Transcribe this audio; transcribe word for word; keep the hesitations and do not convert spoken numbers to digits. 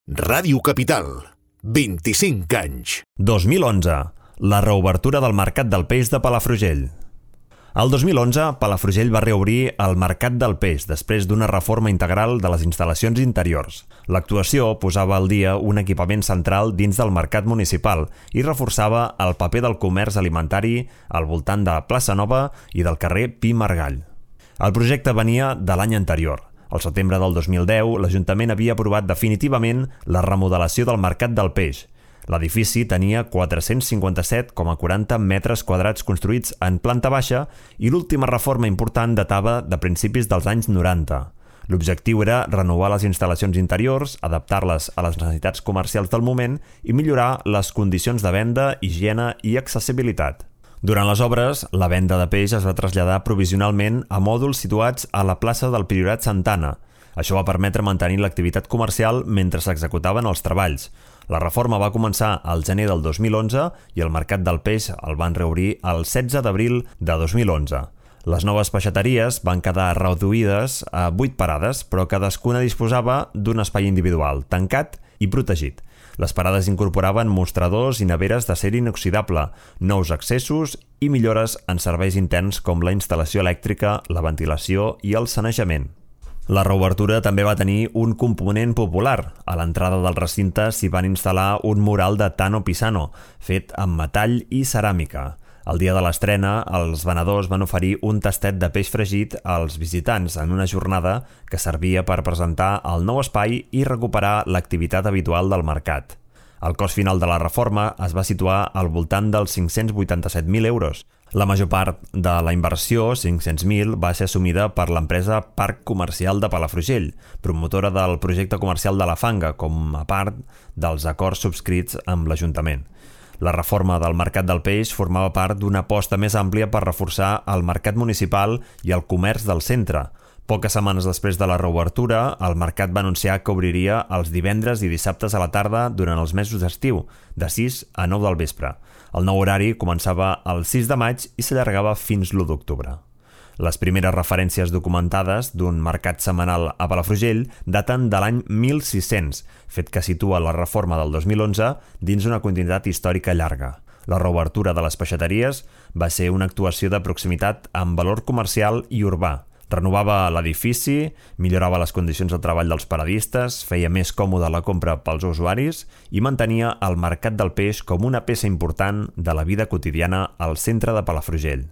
Ràdio Capital, vint-i-cinc anys. dos mil onze. La reobertura del Mercat del Peix de Palafrugell. El dos mil onze, Palafrugell va reobrir el Mercat del Peix després d'una reforma integral de les instal·lacions interiors. L'actuació posava al dia un equipament central dins del mercat municipal i reforçava el paper del comerç alimentari al voltant de la plaça Nova i del carrer Pi Margall. El projecte venia de l'any anterior. Al setembre del dos mil deu, l'Ajuntament havia aprovat definitivament la remodelació del Mercat del Peix. L'edifici tenia quatre-cents cinquanta-set coma quaranta metres quadrats construïts en planta baixa i l'última reforma important datava de principis dels anys noranta. L'objectiu era renovar les instal·lacions interiors, adaptar-les a les necessitats comercials del moment i millorar les condicions de venda, higiene i accessibilitat. Durant les obres, la venda de peix es va traslladar provisionalment a mòduls situats a la plaça del Priorat Santana. Això va permetre mantenir l'activitat comercial mentre s'executaven els treballs. La reforma va començar al gener del dos mil onze i el Mercat del Peix el van reobrir el setze d'abril de dos mil onze. Les noves peixateries van quedar reduïdes a vuit parades, però cadascuna disposava d'un espai individual, tancat i protegit. Les parades incorporaven mostradors i neveres d'acer inoxidable, nous accessos i millores en serveis interns com la instal·lació elèctrica, la ventilació i el sanejament. La reobertura també va tenir un component popular. A l'entrada del recinte s'hi van instal·lar un mural de Tano Pisano, fet amb metall i ceràmica. El dia de l'estrena, els venedors van oferir un tastet de peix fregit als visitants en una jornada que servia per presentar el nou espai i recuperar l'activitat habitual del mercat. El cost final de la reforma es va situar al voltant dels cinc-cents vuitanta-set mil euros. La major part de la inversió, cinc-cents mil, va ser assumida per l'empresa Parc Comercial de Palafrugell, promotora del projecte comercial de la Fanga, com a part dels acords subscrits amb l'Ajuntament. La reforma del Mercat del Peix formava part d'una aposta més àmplia per reforçar el mercat municipal i el comerç del centre. Poques setmanes després de la reobertura, el mercat va anunciar que obriria els divendres i dissabtes a la tarda durant els mesos d'estiu, de sis a nou del vespre. El nou horari començava el sis de maig i s'allargava fins l'u d'octubre. Les primeres referències documentades d'un mercat setmanal a Palafrugell daten de l'any mil sis-cents, fet que situa la reforma del dos mil onze dins una continuïtat històrica llarga. La reobertura de les peixateries va ser una actuació de proximitat amb valor comercial i urbà. Renovava l'edifici, millorava les condicions de treball dels paradistes, feia més còmoda la compra pels usuaris i mantenia el Mercat del Peix com una peça important de la vida quotidiana al centre de Palafrugell.